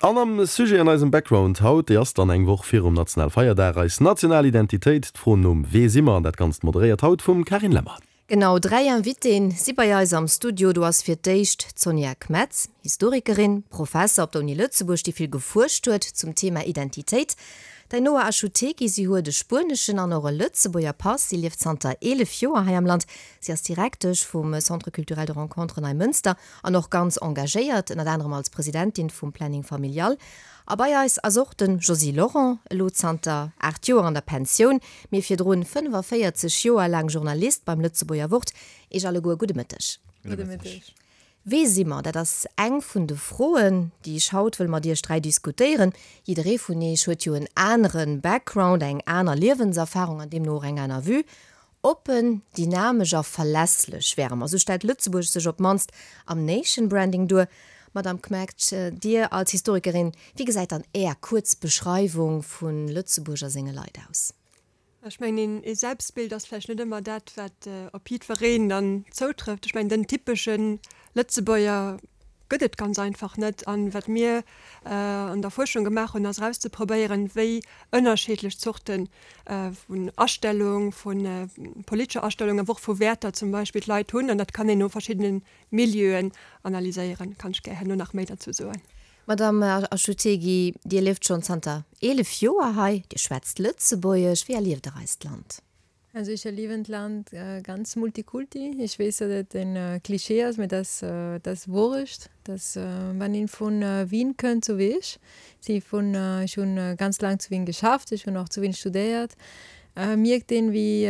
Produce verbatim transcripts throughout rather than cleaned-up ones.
An am Sujet an eisem Background haut, déi ass dann eng Woch virum Nationalfeierdag, eis national Identitéit, d'Fro nom Wee si mer, an dat Ganzt moderéiert haut vum Carine Lemmer. Genau, dräi Invitéen si bei eis am Studio. Do ass fir d'éischt d'Sonja Kmetz, Historikerin, Professer op der Uni Lëtzebuerg, déi vill gefuerscht huet zum Thema Identitéit. D'Ainhoa Achutegui, si huet e spueneschen an och e Lëtzebuerger Pass, si lieft zanter eelef Joer hei am Land. Si ass Direktesch vum Centre culturel de rencontre Neimënster an och ganz engagéiert, ënnert anerem als Presidentin vum Planning familial. A bei eis ass och de Josy Lorent, elo zanter aacht Joer an der Pensioun, mee virdrun fënnefaféierzeg Joer laang Journalist beim Lëtzebuerger Wort. Iech alleguer gudde Mëtteg. Gudde Mëtteg. Wee si mer? Dat ass eng vun de Froen, déi ech haut wëll mat iech dräi diskutéieren. Jidderee vun iech huet jo en anere Background, eng aner Liewenserfarung an deemno och eng aner Vue. Oppen, dynamesch a verlässlech wäre mer, esou stellt Lëtzebuerg sech op d'mannst am Nation Branding duer. Madame Kmec, Dir als Historikerin, wéi gesäit dann Är kuerz Beschreiwung vu Lëtzebuerg a senge Leit aus? Ech mengen, ee Selbstbild ass vläicht net ëmmer dat, wat op jiddwereen dann zoutrëfft. Ech mengen, den typesche Lëtzebuerger gëtt et ganz einfach net. An wat mir an der Fuerschung gemaach hunn, ass erauszeprobéieren, wéi ënnerschiddlech Zorte vun Astellung, vu politescher Astellung, awer och vu Wäerter zum Beispill d'Leit hunn. An dat kann een no verschiddene Milieuen analyséieren. Kann ech gär herno nach méi derzou soen. Madame Achutegui, Dir lieft schonn zanter eelef Joer hei, Dir schwätzt Lëtzebuergesch. Wéi erlieft Der eist Land? Also ech erliewen d'Land ganz multikulti. Ech weess, datt et en Klischee ass, mee dat ass Wourecht, dass wann een vun Wien kënnt, sou wéi ech, si vun, ech hunn ganz laang zu Wien geschafft, ech hunn och zu Wien studéiert, mierkt een, wéi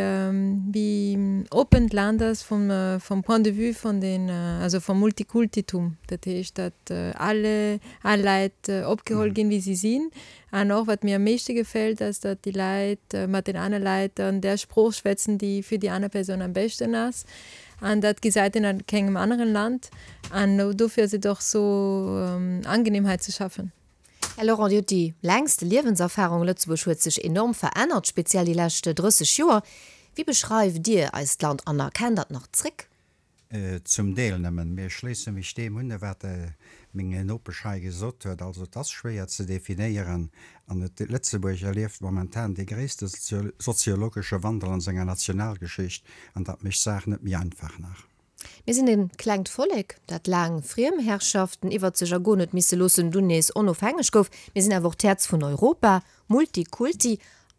wéi oppen d'Land ass vum vum Point de vue vun den, also vum Multikultitum. Dat heescht, datt alle all Leit opgeholl ginn, wéi si sinn. An och wat mir am meeschte gefält, ass, datt déi Leit mat den aner Leit an där Sprooch schwätzen, déi fir déi aner Persoun am beschten ass. An dat gesäit een a kengem aneren Land. An dofir ass et och sou angenehm hei ze schaffen. Här Lorent, Dir hutt déi längste Liewenserfarung. Lëtzebuerg huet sech enorm verännert, speziell déi lescht drësseg Joer. Wéi beschreift Dir eist Land an erkennt Der et nach zréck? Zum Deel nëmmen. Mee ech schléisse mech deem un, wat meng Nopesch hei gesot huet. Also et ass schwéier ze definéieren an et, Lëtzebuerg erlieft momentan dee gréisste soziologesche Wandel an senger Nationalgeschicht an dat mécht d'Saach net méi einfach nach. Mir sinn e klengt Vollek, dat laang Friemherrschaften iwwert sech ergoen huet misse loossen, dunn nees onofhängeg gouf. Mir sinn awer och d'Häerz vun Europa, Multikulti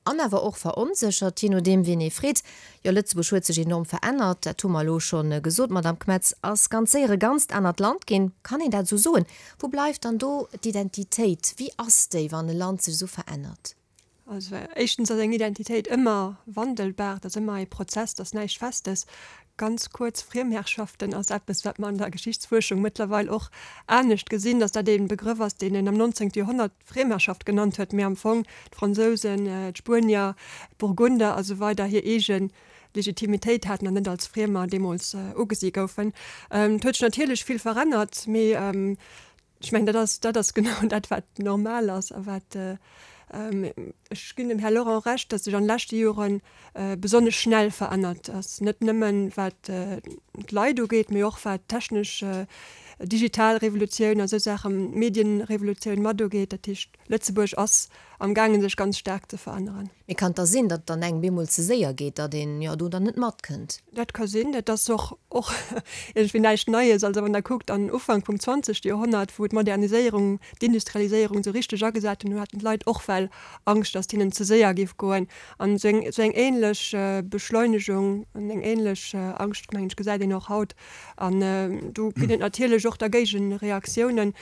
an awer och veronséchert, jee nodeem wien ee freet. Jo, Lëtzebuerg huet sech enorm verännert, dat hu mer elo scho gesot, Madamm Kmetz, ass ganz séier e ganzt anert Land ginn. Kann een dat esou soen? Wou bleift dann do d'Identitéit? Wéi ass déi, wann e Land sech esou verännert? Also éischtens ass eng Identitéit ëmmer wandelbar, dat ass ëmmer ee Prozess, dat ass näischt Festes. Ganz kuerz, Friemherrschaften ass eppes, wat mer an der Geschichtsfuerschung mëttlerweil och anescht gesinn, datt dat ee Begrëff ass, deen een am nonzéngte Joerhonnert Friemherrschaft genannt huet, mee am Fong d'Fransousen, d'Spuenier, d'Burgunder a sou weider hir eege Legitimitéit haten an net als Friemer deemools ugesi goufen. Et huet sech natierlech vill verännert, mee Ech mengen, dat ass, dat ass genau dat, wat normal ass a wat, ech ginn dem Här Lorent Recht, datt sech an de leschte Jore besonnesch schnell verännert ass, net nëmmen wat d'Leit ugeet, mee och wat d'technesch, digital Revolutioun a sou Saachen, d'Medienrevolutioun mat ugeet. Dat heescht, Lëtzebuerg ass am gaangen sech ganz staark ze veränneren. Mee kann et da sinn, datt et dann engem bemol ze séier geet, datt een jo do dann net matkënnt? Dat ka sinn. Dat ass och och iergendwéi näischt Neies. Also wann Der kuckt an Ufank vum zwanzegste Joerhonnert, wou d'Moderniséierung, d'Industrialiséierung esou richteg agesat hunn, do haten d'Leit och well Angscht, datt et hinnen ze séier géif goen. An esou eng esou eng ähnlech Beschleunegung an eng ähnlech Angscht, mengen ech, gesäit een och haut. An do ginn et natierlech och da Géigereaktiounen.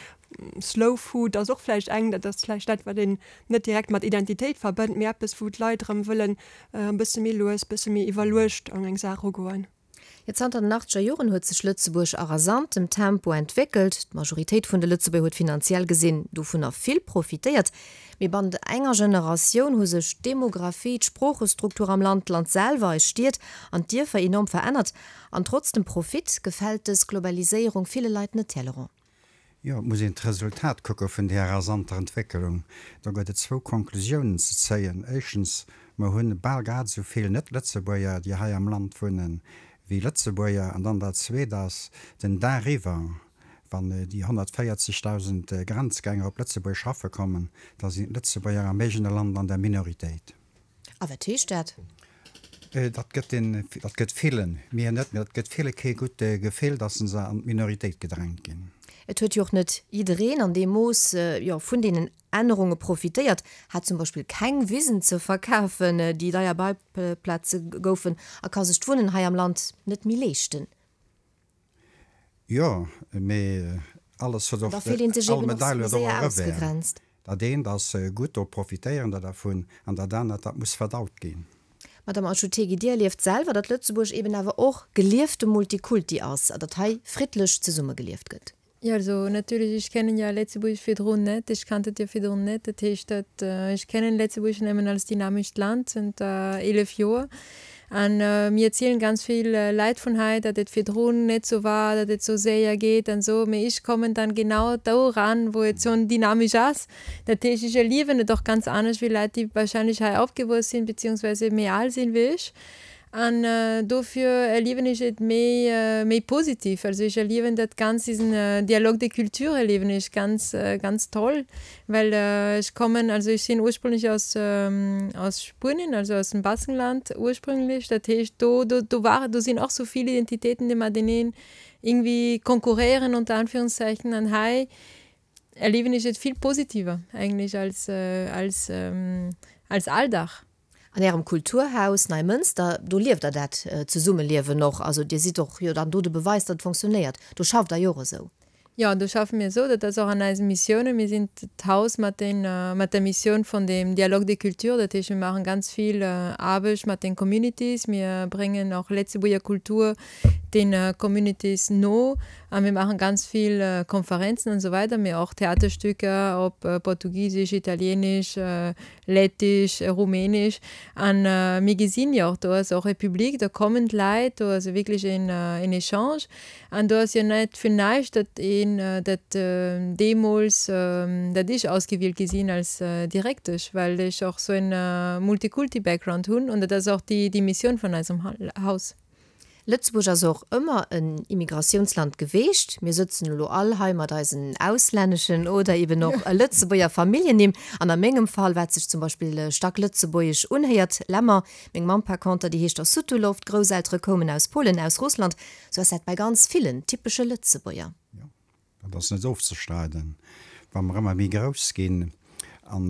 Slow Food ass och vläicht eng, dat ass vläicht dat, wat een net direkt mat Identitéit verbënnt, mee eppes, wou d'Leit erëm wëllen e bësse méi lues, bësse méi iwwerluecht an eng Saach erugoen. Jo, zanter den achtzeger Joren huet sech Lëtzebuerg a rasantem Tempo entwéckelt. D'Majoritéit vun de Lëtzebuerger huet finanziell gesinn dovunner vill profitéiert. Mee bannent enger Generatioun hu sech d'Demographie, d'Sproochestruktur am Land, d'Land selwer, eis Stied an d'Dierfer enorm verännert. An trotz dem Profit gefält dës Globaliséierung ville Leit net, Här Laurent. Jo, et muss een d'Resultat kucke vun där rasanter Entwéckelung. Do gëtt et zwou Konklusiounen ze zéien. Éischtens, mer hunn bal grad esou vill Net-Lëtzebuerger, déi hei am Land wunnen, wéi Lëtzebuerger. An dann dat Zweet ass, den Dag iwwer Wann déi honnertvéierzegdausend Grenzgänger op Lëtzebuerg schaffe kommen, da sinn d'Lëtzebuerger am eegene Land an der Minoritéit. A wat heescht dat? Dat gëtt den, dat gëtt villen, mir net, mee dat gëtt ville kee gutt Gefill, datt se an d'Minoritéit gedrängt ginn. Et huet jo och net jiddereen an deem Mooss, jo, vun deenen Ännerunge profitéiert, hat zum Beispill keng Wisen ze verkafen, déi deier Bauplaze goufen, a ka sech d'Wunnen hei am Land net méi leeschten. Jo, mee alles huet och, Da fillt een sech all eben och Medail huet och séier e Revers. ausgegrenzt. Dat eent ass gutt, do profitéieren der dervun, an dat anert, dat muss verdaut ginn. Madame Achutegui, Dir erlieft selwer, datt Lëtzebuerg eben awer och geliefte Multikulti ass a datt hei friddlech zesummegelieft gëtt. Ja, also natierlech, ech kennen ja Lëtzebuerg virdrun net, ech kannt et jo virdrun net. Dat heescht, dat ech kennen Lëtzebuerg nëmmen als dynamescht Land zënter eelef Joer. An mir erzielen ganz vill Leit vun hei, datt et virdrun net sou war, datt et sou séier geet an sou. Mee ech kommen dann genau do ran, wou et schonn dynamesch ass. Dat heescht, ech erliewen et och ganz anescht wéi Leit, déi wahrscheinlech hei opgewuess sinn, beziehungsweise méi al sinn wéi ech. An dofir erliewen ech et méi, méi positiv. Also ech erliewen dat ganz, diesen Dialogue des cultures erliewen ech ganz, ganz toll, well ech kommen, also ech sinn ursprünglech aus, aus Spuenien, also aus dem Baskenland ursprünglech. Dat heescht do, do, do war, do sinn och sou vill Identitéiten, déi mateneen irgendwie konkurréieren unter Anführungszeichen. An hei erliewen ech et vill positiver eigentlich als, als, als Alldag. An Ärem Kulturhaus Neimënster, do lieft Der dat Zesummeliewen och. Also Dir sidd och jo dann do de Beweis, datt et funktionéiert. Do schafft Der jo och esou. Jo, do schaffe mir esou. Dat ass och an eisen Missiounen. Mir sinn d'Haus mat den, mat der Missioun vun dem Dialogue des cultures. Dat heescht, mir maachen ganz vill Aarbecht mat den Communities. Mir bréngen och Lëtzebuerger Kultur den Communities no a mir maachen ganz vill Konferenzen an esou weider, mee och Theaterstücker op Portugisesch, Italieenesch, Lettisch, Rumänesch an mir gesinn jo och, do ass och e Public, do kommen d'Leit, do ass wierklech en en Echange an do ass jo net fir näischt, datt een dat deemools, datt ech ausgewielt gi sinn als Direktesch, well ech och sou en Multikulti-Background hunn an dat ass och déi déi Missioun vun eisem Haus. Lëtzebuerg ass och ëmmer en Immigratiounsland geweecht. Mir sëtzen elo all hei mat eisen auslänneschen oder eben och Lëtzebuerger Familljennimm. An a mengem Fall, wat sech zum Beispill staark lëtzebuergesch unhéiert, Lemmer. Meng Mamm par conter, déi heescht Osutulow, d'Grousseltere koumen aus Polen, aus Russland. Sou ass dat bei ganz villen typesche Lëtzebuerger. Jo, dat ass net ofzestreiden. Wa mer ëmmer méi grouss ginn an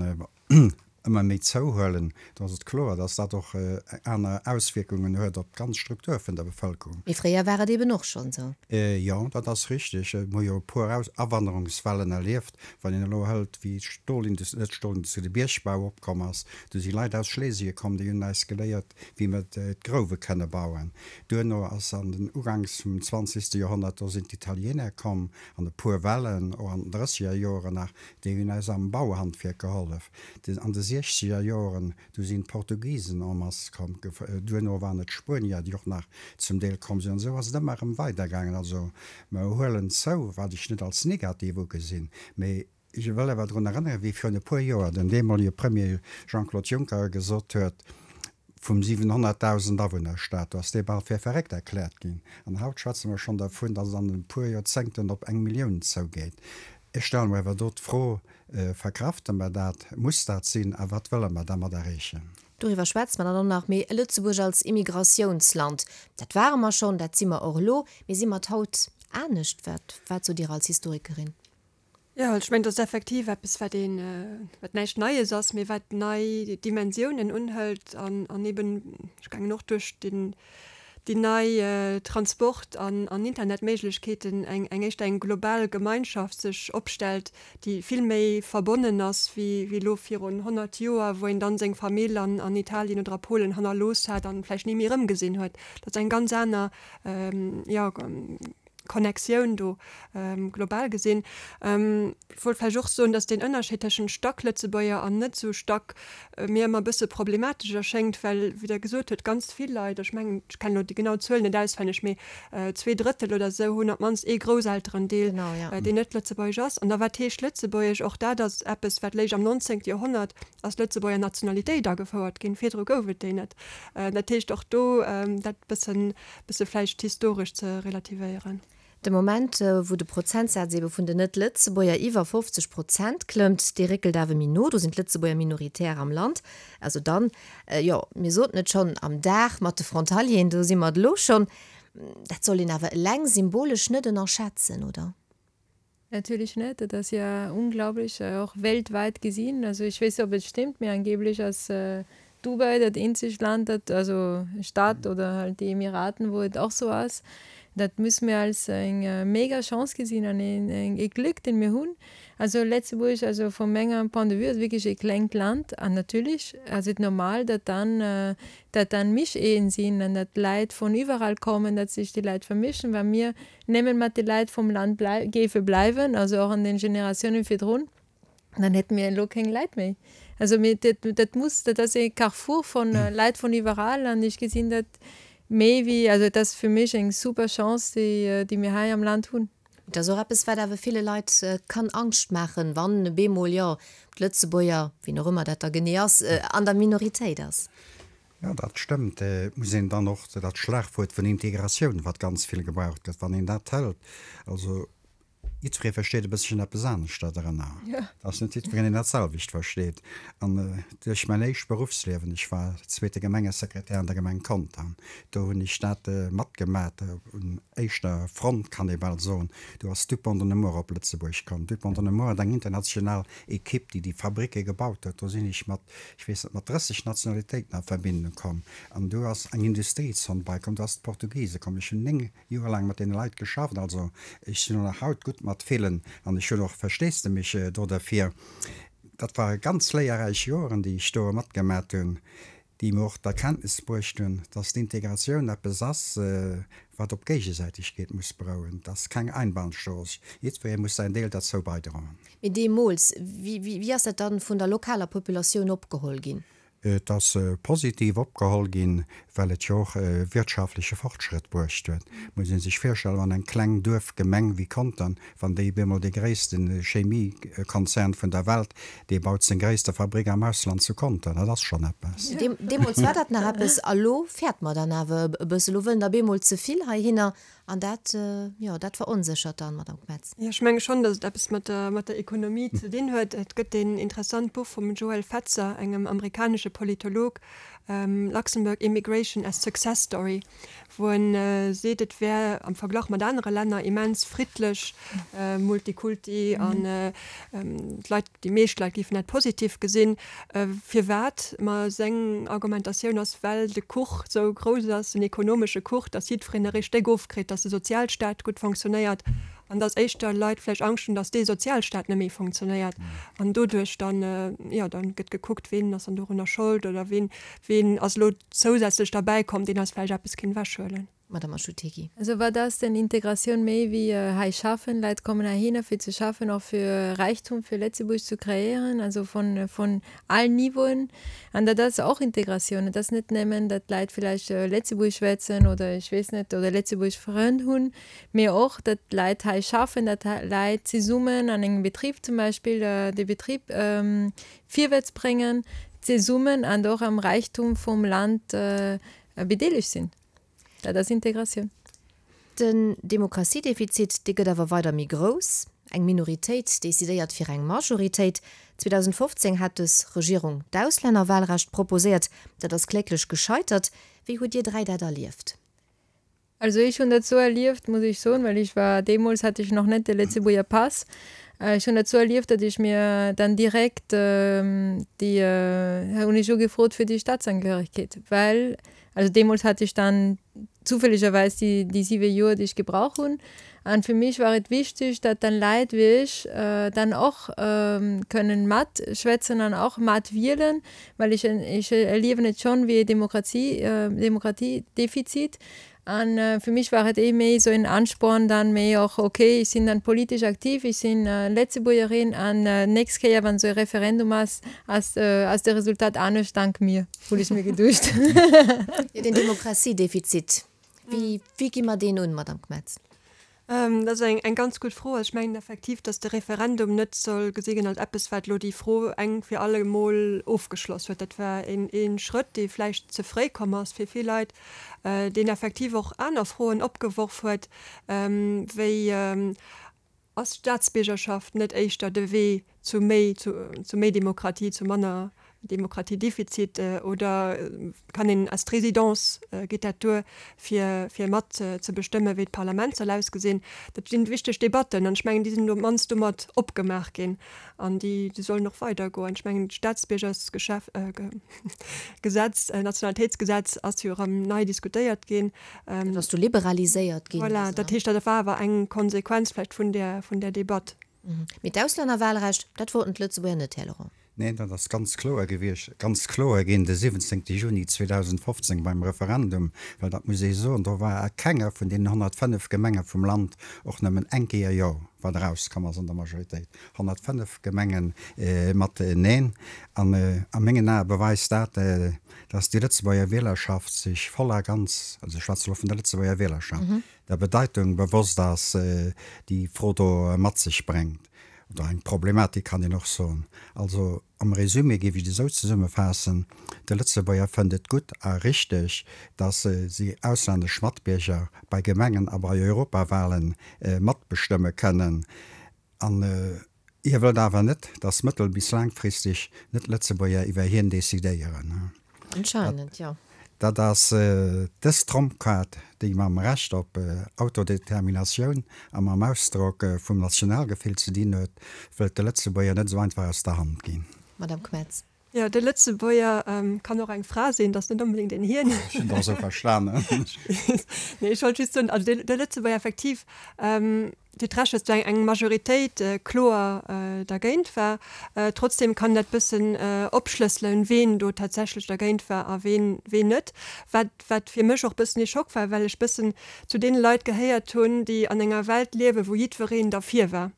ëmmer méi zouhuelen, do ass et kloer, dass dat och aner Auswierkungen huet op d'ganz Struktur vun der Bevëlkerung. Mee fréier war et eben och schonn esou. Jo, dat ass richteg. Mir hu jo e puer Awanderungswellen erlieft. Wann een elo hëlt, wéi d'Stolindustrie, net d'Stolindustrie, de Biergbau opkomm ass, do si Leit aus Schlesie komm, déi hunn eis geléiert, wéi mer d'Grouwe kënne bauen. Duerno ass an den Uganks vum zwanzegste Joerhonnert, do sinn d'Italiener komm an e puer Wellen, och an den drësseger Joren nach, déi hunn eis am Bauhandwierk gehollef. An de siechzeger Joren, du sinn d'Portugisen en masse komm, duerno waren et d'Spuenier, déi och nach zum Deel komm sinn. An esou ass et ëmmer erëm weidergaangen. Also mer huelen zou, wat ech net als negativ ugesinn, mee ech wëll awer drun erënneren, wéi virun e puer Joer den deemolige Premier Jean-Claude Juncker gesot huet, vum siwenhonnertdausend Awunnerstaat, do ass dee bal fir verréckt erkläert ginn. An haut schwätze mer schonn dervun, datt et an e puer Joerzéngten op eng Millioun zougeet. Ech stelle mer awer do d'Fro, Verkrafte mer dat? Muss dat sinn? A wat wëlle mer dermat erreechen? Doriwwer schwätze mer dann och nach. Mee Lëtzebuerg als Immigratiounsland, dat ware mer schonn, dat si mer och elo. Mee si mer et haut anescht? Wat, wat sot Dir als Historikerin? Jo, ech mengen, dat ass effektiv eppes, wat een, wat näischt Neies ass, mee wat nei Dimensiounen unhëlt an, an eben, ech mengen och duerch den, déi nei Transport an an Internetméiglechkeeten eng eng éischter eng global Gemeinschaft sech opstellt, déi vill méi verbonnen ass wéi wéi elo virun honnert Joer, wou een dann seng Famill an an Italien oder a Polen hannerlooss hat an vläicht ni méi erëmgesinn huet. Dat ass eng ganz aner, jo, Connectioun do global gesinn. Ech wollt vläicht och soen, datt deen Ënnerscheed tëschent Stacklëtzebuerger an net esou Stack mir ëmmer e bësse problematesch erschéngt, well, wéi Der gesot hutt, ganz vill Leit, ech mengen, ech kennen elo déi genau Zuel net auswenneg, mee zwee Drëttel oder esou hunn op d'mannst ee Grousselterendeel, deen net lëtzebuergesch ass. An da wat heescht lëtzebuergesch? Och dat ass eppes, wat léich am nonzéngte Joerhonnert ass d'Lëtzebuerger Nationalitéit agefouert ginn. Virdru gouf et déi net. Dat heescht, och do dat bëssen, bësse vläicht historesch ze relativéieren. De Moment, wou de Prozentsaz ebe vun den Net-Lëtzebuerger iwwer fofzeg Prozent klëmmt, dee réckelt awer méi no, do sinn d'Lëtzebuerger minoritär am Land. Also dann, jo, mir soten et schonn, am Dag mat de Frontalieren, do si mer et elo schonn. Dat soll een awer eleng symbolesch net ënnerschätzen, oder? Natürlich net, dat ass ja unglaublich, och weltweit gesinn. Also ech weess net, ob et stimmt, mee angeblech ass Dubai dat eenzegt Land, dat, also Stadt oder halt déi Emiraten, wou et och sou ass. Dat musse mir als eng mega Chance gesinn an ee Glück, deen mir hunn. Also Lëtzebuerg, also vu mengem Point de vue, ass wierklech ee klengt Land an natierlech ass et normal, datt dann, datt dann Mischehen sinn an datt Leit vun iwwerall kommen, datt sech déi Leit vermischen, wa mir nëmmen mat de Leit vum Land géife bleiwen, also och an den Generatiounen virdrun, dann hätte mir elo keng Leit méi. Also mir, dat, dat muss, dat ass e Carrefour von Leit vun iwwerall an ech gesinn dat méi wéi, also et ass fir mech eng super Chance, déi, déi mir hei am Land hunn. Et ass och eppes, wat awer ville Leit kann Angscht maachen, wann bemol, jo, d'Lëtzebuerger, wien och ëmmer dat da genee ass, an der Minoritéit ass. Jo, dat stëmmt. Et muss een dann och dat Schlagwuert vun Integratioun, wat ganz vill gebraucht gëtt, wann een dat hëlt, also jiddweree versteet e bësschen eppes anescht dodrënner. Et ass net jiddwereen, deen dat selwecht versteet. An duerch mäin éischt Beruffsliewen, ech war zweete Gemengesekretär an der Gemeng Contern, do hunn ech dat matgemat un éischter Front, kann ee bal soen. Do ass Dupont de Nemours op Lëtzebuerg komm. Dupont de Nemours hat eng international Ekipp, déi déi Fabricke gebaut huet. Do sinn ech mat, ech weess net, mat drësseg Nationalitéiten a Verbindung komm. An do ass eng Industriezon beikomm, do ass d'Portugise komm. Ech hunn néng Joer laang mat deene Leit geschafft, also ech sinn och nach haut gutt mat villen an ech hunn och Versteesdemech do derfir. Dat ware ganz léierräich Joren, déi ech do matgemat hunn, déi mir och d'Erkenntnis bruecht hunn, dass d'Integratioun eppes ass, wat op Géigesäitegkeet muss berouen. Et ass keng Einbahnstrooss, jiddweree muss säin Deel derzou beidroen. Mee deemools, wéi ass dat dann vun der lokaler Populatioun opgeholl ginn? Et ass positiv opgeholl ginn, well et jo och wirtschaftleche Fortschrëtt bruecht huet. Et muss ee sech virstellen, wann eng kleng Duerfgemeng wéi Contern, wann déi op eemol dee gréisste Chemiekonzern vun der Welt, dee baut seng gréisste Fabrik am Ausland zu Contern, dat ass schonn eppes. Deemools war dat nach eppes, a lo fäert mer dann awer e bësse. Lo wëllen der op eemol ze vill heihinner an dat, jo, dat veronséchert dann, Madame Kmetz. Jo, ech menge schonn, datt et eppes mat der, mat der Ekonomie ze dinn huet. Et gëtt een interessant Buch vum Joel Fetzer, engem amerikanesche Politolog, Luxembourg Immigration as Success Story, wou en seet, et wär am Verglach mat anere Länner immens friddlech, Multikulti an d'Leit, déi meescht Leit géifen dat positiv gesinn. Firwat? Ma seng Argumentatioun ass, well de Kuch sou grouss ass, den ekonomesche Kuch, datt jiddwereen e Stéck ofkritt, datt de Sozialstaat gutt fonctionnéiert an datt éischter Leit vläicht Angscht hunn, datt dee Sozialstaat net méi fonctionnéiert an doduerch dann, jo, dann gëtt gekuckt, ween ass dann dorunner Schold oder ween, ween ass elo zousätzlech derbäi komm, deen eis vläicht eppes kéint ewechhuelen. Madame Achutegui. Also wat ass denn Integratioun méi wéi hei schaffen? Leit kommen heihinner fir ze schaffen, och fir Räichtum fir Lëtzebuerg ze kreéieren, also von, von allen Niveauen. An dat ass och Integratioun. Et ass net nëmmen, datt Leit villäicht Lëtzebuerg schwätzen oder ech weess net, oder Lëtzebuerg Frënn hunn, mee och, datt Leit hei schaffen, datt Leit zesummen an engem Betrib zum Beispill de Betrib virwärts bréngen, zesummen an och am Räichtum vum Land bedeelegt sinn. Dat ass Integratioun. Den Demokratiedefizit, dee gëtt awer weider méi grouss. Eng Minoritéit decidéiert fir eng Majoritéit. zweedausendfofzéng hat dës Regierung d'Auslännerwahlrecht proposéiert. Dat ass kläglech gescheitert. Wéi hutt Dir dräi dat erlieft? Also ech hunn dat sou erlieft, muss ech soen, well ech war, deemools hat ech nach net de Lëtzebuerger Pass, ech hunn dat sou erlieft, datt ech mir dann direkt déi, hunn ech ugefrot fir déi Staatsangehörigkeet, well, also deemools hat ech dann zufälligerweis déi, déi siwe Joer, déi ech gebrauch hunn. An fir mech war et wichteg, datt dann Leit wéi ech dann och kënnen matschwätzen an och matwielen, well ech, ech erliewen et schonn wéi e Demokratie, Demokratiedefizit. An fir mech war et eh méi esou en Ansporn dann méi och, okay, ech sinn dann politesch aktiv, ech sinn Lëtzebuergerin an nächst Kéier wann esou e Referendum ass, ass ass de Resultat anescht dank mir, hunn ech mir geduecht. Jo, den Demokratiedefizit, wéi wéi gi mer deen un, Madame Kmetz? Dat ass eng ganz gutt Fro. Ech mengen effektiv, datt de Referendum net soll gesi ginn als eppes, wat elo déi Fro eng fir alle Mol ofgeschloss huet. Dat war ee Schrëtt, dee vläicht ze fréi komm ass fir vill Leit, deen effektiv och aner Froen opgeworf huet, wéi, Ass d'Staatsbiergerschaft net éischter de Wee zu méi, zu méi Demokratie, zu manner Demokratiedefizit oder kann een als d'Résidence, geet dat duer, fir, fir mat ze bestëmmen, wéi d'Parlament soll ausgesinn? Dat sinn wichteg Debatten an ech mengen, déi sinn op d'mannst domat opgemaach ginn an déi, déi sollen och weidergoen. Ech mengen, d'Staatsbiergersgeschäf, Gesetz, Nationalitéitsgesetz ass jo erëm nei diskutéiert ginn. Dat ass du liberaliséiert ginn. Voilà, dat heescht, dat war awer eng Konsequenz vläicht vun där, vun där Debatt. Mee d'Auslännerwahlrecht, dat wollten d'Lëtzebuerger net, Här Laurent. Neen, dat ass ganz kloer gewiescht, ganz kloer ginn de siwwenzéngte Juni zweedausendfofzéng beim Referendum, well dat muss ee soen, do war a kenger vun deenen honnertfënnef Gemenge vum Land och nëmmen eng Kéier Jo, wat erauskomm ass an der Majoritéit. Honnertfënnef Gemenge mat Neen. An a mengen Ae beweist dat, dass déi Lëtzebuerger Wielerschaft sech voll a ganz, also ech schwätze elo vun der Lëtzebuerger Wielerschaft, der Bedeitung bewosst ass, déi d'Fro do mat sech bréngt, oder eng Problematik kann een och soen. Also am Résumé géif ech et esou zesummefaassen, De Lëtzebuerger fënnt et gutt a richteg, dass si auslännesch Matbierger bei Gemengen a bei Europawahlen matbestëmme kënnen. An hie wëllt awer net, dass mëttel bis laangfristeg Net-Lëtzebuerger iwwer hien decidéieren. Anscheinend, jo. Dat ass dës Trompkaart, déi mam Recht op Autodeterminatioun a mam Ausdrock vum Nationalgefill ze dinn huet, wëllt de Lëtzebuerger net esou einfach aus der Hand ginn. Madame Kmetz. Jo, de Lëtzebuerger kann och eng Fra sinn, dat ass net onbedéngt een Hien. Ech hunn der esou verstanen. Nee, ech wollt just soen, also de Lëtzebuerger effektiv, Dir hutt Recht, datt do eng Majoritéit kloer dergéint war. Trotzdem kann dat bëssen opschlësselen, ween do tatsächlech dergéint war a ween ween net. Wat wat fir mech och bëssen ee Schock war, well ech bëssen zu deene Leit gehéiert hunn, déi an enger Welt liewen, wou jiddwereen derfir war,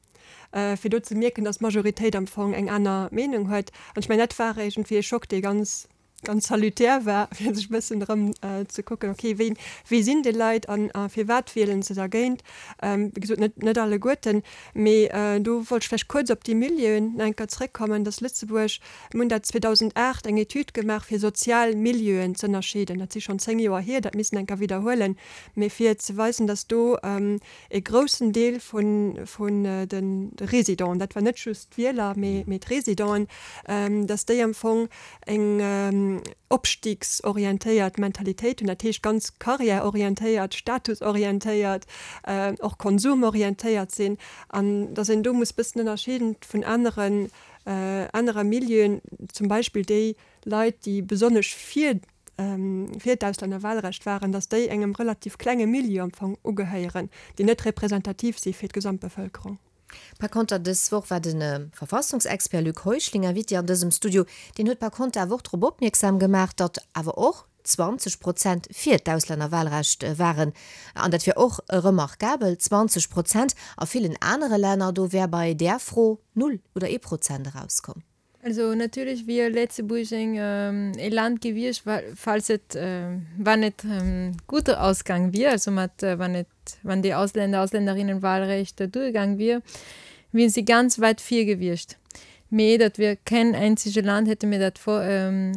fir do ze mierken, datt d'Majoritéit am Fong eng aner Meenung huet. An ech mengen, dat war iergendwéi ee Schock, dee ganz ganz salutär war, fir sech e bëssen erëm ze kucken, okay, wéi, wie sinn déi Leit an a firwat wielen se dergéint? Wéi gesot, net, net alleguerten, mee do wollt ech vläicht kuerz op déi Milieuen nach eng Kéier zrëckkommen, dass Lëtzebuerg, mir hunn dat zweedausendacht eng Etüd gemaach, fir sozial Milieuen z'ënnerscheeden, dat si schonn zéng Joer hier, dat misst een eng Kéier widderhuelen, mee fir ze weisen, dass do e groussen Deel vun, vun de Résidenten, dat war net just d'Wieler, mee, mee d'Résidenten, dass déi am Fong eng opstiegsorientéiert Mentalitéit hunn, dat heescht ganz karriärorientéiert, statusorientéiert, och konsumorientéiert sinn, an dass een do muss bëssen ënnerscheeden vun aneren, anere Milieuen, zum Beispill déi Leit, déi besonnesch fir fir d'Auslännerwahlrecht waren, dass déi engem relativ klenge Milieu am Fong ugehéieren, déi net representativ si fir d'Gesamtbevëlkerung. Par konter, dës Woch war de Verfassungsexpert Luc Heuschling Invité an dësem Studio. Deen huet par konter awer och drop opmierksam gemaach, datt awer och zwanzeg Prozent fir d'Auslännerwahlrecht waren. An dat wier och remarkabel, zwanzeg Prozent! A villen anere Länner, do wär bei där Fro null oder ee Prozent erauskomm. Also natierlech wier Lëtzebuerg e Land gewiescht, falls et, wann et guter Ausgang wier, also mat, wann et, wann déi Ausländer, Ausländerinnenwahlrecht duergaang wier, wieren si ganz weit vir gewiescht. Mee dat wier keen einzige Land, hätte mir dat vor,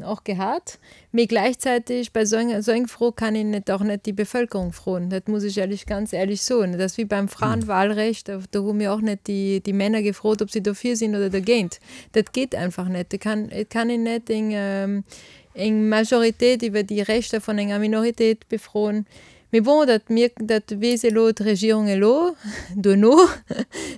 och gehat. Mee gleichzeitig bei esou enger, esou eng Fro kann een net, och net déi Bevölkerung froen. Dat muss ech ehrlech, ganz ehrlech soen. Dat ass wéi beim Frauenwahlrecht, do hu mir och net déi, déi Männer gefrot, ob si dofir sinn oder dergéint. Dat geet einfach net. Et kann, et kann een net eng, eng Majoritéit iwwer déi Rechter vun enger Minoritéit befroen. Mee bon, dat mierkt, dat weess elo d'Regierung elo, duerno,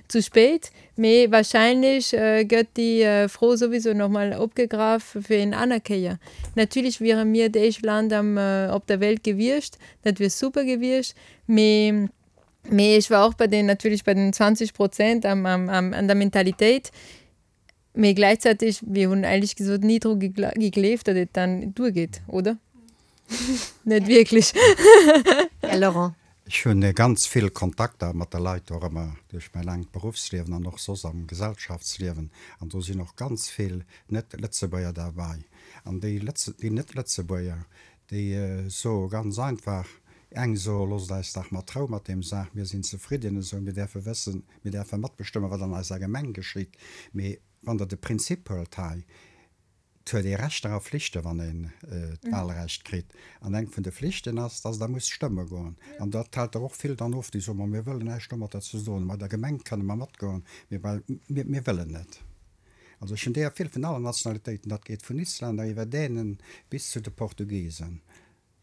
zu spéit. Mee wahrscheinlech gëtt déi Fro souwisou nach mol opgegraff fir eng aner Kéier. Natierlech wiere mir d'éischt Land am, op der Welt gewiescht, dat wier super gewiescht. Mee, mee ech war och bei den, natierlech bei den zwanzeg Prozent am, am, am, an der Mentalitéit. Mee gläichzäiteg, mir hunn éierlech gesot ni dru gegleeft, datt et dann duergeet, oder? Net wierklech. Här Laurent. Ech hunn ganz vill Kontakter mat de Leit och ëmmer duerch mäi laangt Beruffsliewen an och soss am Gesellschaftsliewen. An do sinn och ganz vill Net-Lëtzebuerger derbäi. An déi Lëtze, déi Net-Lëtzebuerger, déi soe ganz einfach, Eng soe loosst eis dach mat Rou mat deem Saach, mir sinn zefridden esou, mir däerfe wëssen, mir däerfe matbestëmmen, wat an eiser Gemeng geschitt. Mee wann Der de Prinzip huelt hei, et huet ee Rechter a Flichte wann een d'Wahlrecht kritt. An eng vun de Flichten ass, dass Der musst stëmme goen. An dat hält der och vill dann of, déi soen, ma mir wëllen näischt domatter ze doen hunn. Bei der Gemeng kënne mer matgoen, mee bei, mir, mir wëllen net. Also ech hunn deeër vill vun allen Nationalitéiten, dat geet vun Islänner iwwer Dänen bis zu de Portugisen.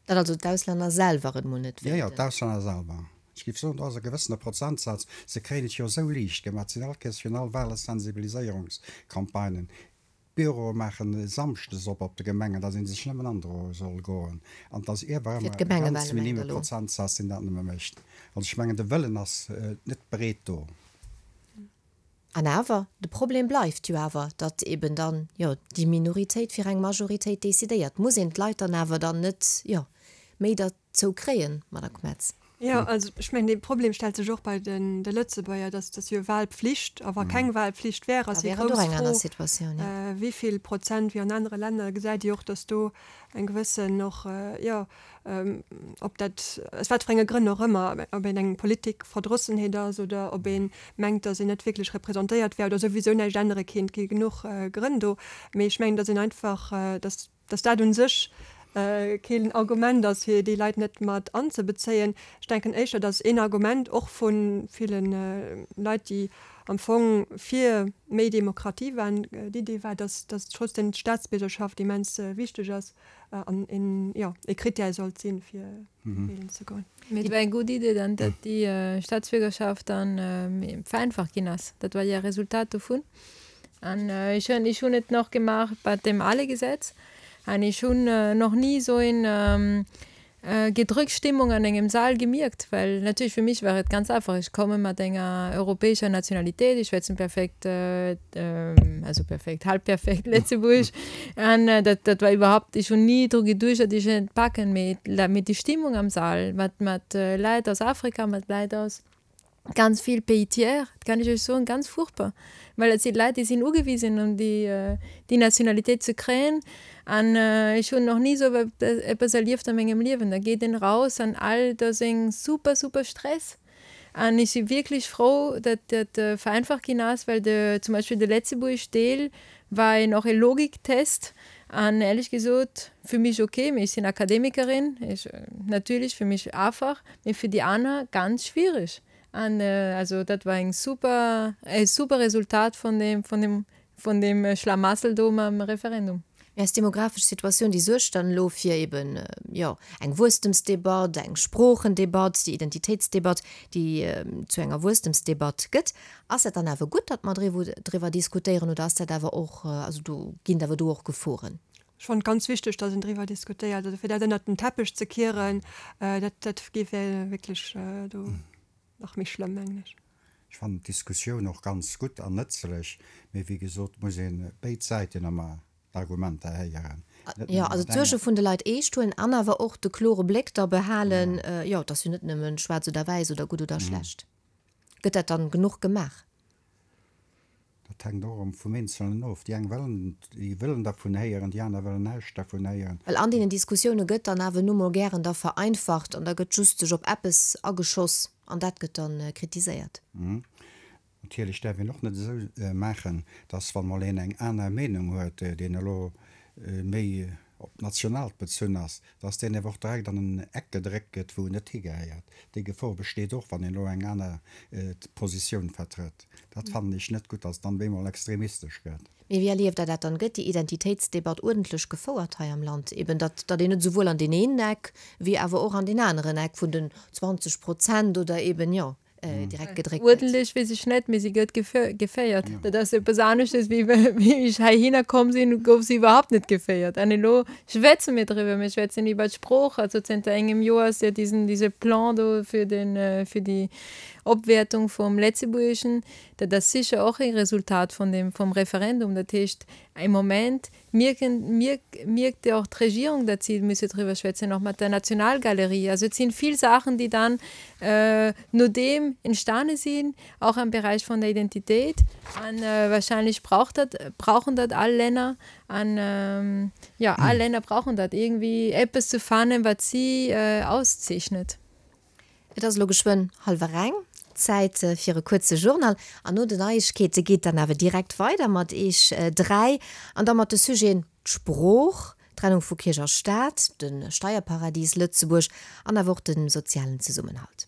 Datt also d'Auslänner selwer et mol net Jo, jo, wéilten. d'Auslänner selwer. Ech géif soen, do ass e gewëssene Prozentsaz. Se kréien et jo esou liicht gemaach. Et sinn all Kéiers virun all Wahle Sensibiliséierungscampagnen. D'Büroe maachen e Samschdes op op de Gemengen, datt ee sech nëmmen androe soll goen. An et ass iewer Fir ëmmer e ganz d'Gemengewale mengt minime Der elo? Prozentsaz, deen dat nëmme mécht. Also ech mengen, de Wëllen ass net breet do. An awer, de Problem bleift jo awer, datt eben dann, jo, déi Minoritéit fir eng Majoritéit decidéiert. Muss een d'Leit dann awer dann net, jo, méi derzou kréien, Madame Kmetz? Jo, also ech mengen, dee Problem stellt sech och bei den de Lëtzebuerger, datt ass jo Wahlpflicht, a wa keng Wahlpflicht wär, Da ass déi wär et och grouss eng aner Fro, Situatioun, jo. wéi vill Prozent, wéi an anere Länner gesäit Dir och, datt do eng gewëssen och, jo, ob dat aus wat fir enge Grënn och ëmmer, ob een eng Politikverdrossenheet ass oder ob ee mengt, datt een net wierklech representéiert wär oder souwisou näischt ännere kéint, gi genuch Grënn do. Mee ech mengen, datt een einfach, datt datt dat u sech keen Argument ass, fir déi Leit net mat anzebezéien. Ech denken éischter, datt een Argument och vu ville Leit, déi am Fong fir méi Demokratie waren, d'Idee war, datt datt trotzdem d'Staatsbiergerschaft immens wichteg ass an een, jo, ee Krittär sollt sinn, fir wielen ze goen. Mee et war eng gutt Idee dann, datt déi Staatsbiergerschaft dann vereinfacht ginn ass. Dat war jo e Resultat dovun. An ech hunn, ech hunn et nach gemaach bei dem ale Gesetz an ech hunn nach ni esou een gedrückt Stimmung an engem Saal gemierkt, well natierlech fir mich war et ganz einfach, ech komme mat enger europäescher Nationalitéit, ech schwätzen perfekt, also perfekt, halb perfekt Lëtzebuergesch an dat dat war iwwerhaupt, ech hunn ni dru geduecht, datt ech et packen, mee mee déi Stimmung am Saal mat mat Leit aus Afrika, mat Leit aus ganz vill Pays tiers, dat kann ech iech soen, ganz furchtbar, well dat si Leit, déi sinn ugewisen um déi déi Nationalitéit ze kréien an ech hunn nach ni esou eppes erlieft a mengem Liewen. Da geet een raus an all do ass eng super super Stress an ech si wierklech frou, datt dat vereinfacht ginn ass, well de zum Beispill de Lëtzebuerg Deel war een och e Logiktest an ehrlech gesot fir mech ok, mee ech sinn Akademikerin, ech natierlech fir mech einfach, mee fir déi aner ganz schwiereg. An also dat war eng super, e super Resultat vun deem, vun deem, vun deem Schlamassel do mam Referendum. Mee eis demografesch Situatioun, déi suergt dann elo fir eben, jo, eng Wuesstemsdebatt, eng Sproochendebatt, déi Identitéitsdebatt, déi zu enger Wuesstemsdebatt gëtt. Ass dat dann awer gutt, datt mer driwwer diskutéieren, oder ass dat awer och, also do ginn et awer do och Geforen? Ech fannen et ganz wichteg, datt een driwwer diskutéiert. Also fir dat ënnert den Teppech ze kieren, dat, dat géif wierklech do nach méi schlëmm, mengen ech. Ech fannen d'Diskussioun och ganz gutt an nëtzlech, mee wéi gesot muss ee béid Säiten ëmmer d'Argumenter héieren, net Jo, nëmmen also dat enge. d'Suerge vun de Leit eescht huelen an awer och de klore Bléck da behalen, jo, et ass jo net nëmmen schwaarz oder wäiss oder gutt oder schlecht. Gëtt dat dann genuch gemaach? Dat hänkt och erëm vum Eenzelnen of. Déi eng wëllen, déi wëllen dervun héieren, déi aner wëllen näischt dervun héieren. Well an deenen Diskussioune gëtt dann awer nu mol gären da vereinfacht an da gëtt just sech op eppes ageschoss an dat gëtt dann kritiséiert. Natierlech däerf een och net esou maachen, dass, wann mol een eng aner Meenung huet, deen elo méi op d'Nationaalt bezunn ass, dass deen awer och direkt an en Eck gedréckt gëtt, wou en net higehéiert. Déi Gefor besteet och, wann een elo eng aner Positioun vertrëtt. Dat fannen ech net gutt, dass et dann op eemol extremistesch gëtt. Mee wéi erlieft Der dat dann? Gëtt déi Identitéitsdebatt uerdentlech gefouert hei am Land? Eben datt, datt een net esouwuel an deen een Eck wéi awer och an deen aneren Eck vun den zwanzeg Prozent oder eben, jo, direkt gedréckt gëtt. Uerdentlech weess ech net, mee si gëtt geféiert. Dat ass eppes aneschtes, wéi wéi ech heihinner komm sinn, gouf si iwwerhaapt net geféiert. An elo schwätze mir driwwer, mir schwätzen iwwer d'Sprooch. Also zënter engem Joer ass jo diesen, diese Plan do fir den, fir déi Opwäertung vum Lëtzebuergeschen, dat ass sécher och e Resultat vun dem vum Referendum. Dat heescht am Moment mierken mierk mierkt och d'Regierung, datt si musse driwwer schwätzen, och mat der Nationalgalerie. Also et sinn vill Saachen, déi dann äh, nodeem entstane sinn, och am Beräich vun der Identitéit. An äh, wahrscheinlech braucht dat brauchen dat all Länner an ähm, ja all Länner brauchen dat irgendwie eppes ze fannen, wat si äh, auszeechnet. Et ass elo geschwënn hallwer eng, Zäit fir e kuerze Journal an no den Neiegkeete geet dann awer direkt weider mat Iech dräi an da mat de Sujeten d'Sprooch, d'Trennung vu Kierch a Staat, de Steierparadies Lëtzebuerg an awer och de sozialen Zesummenhalt.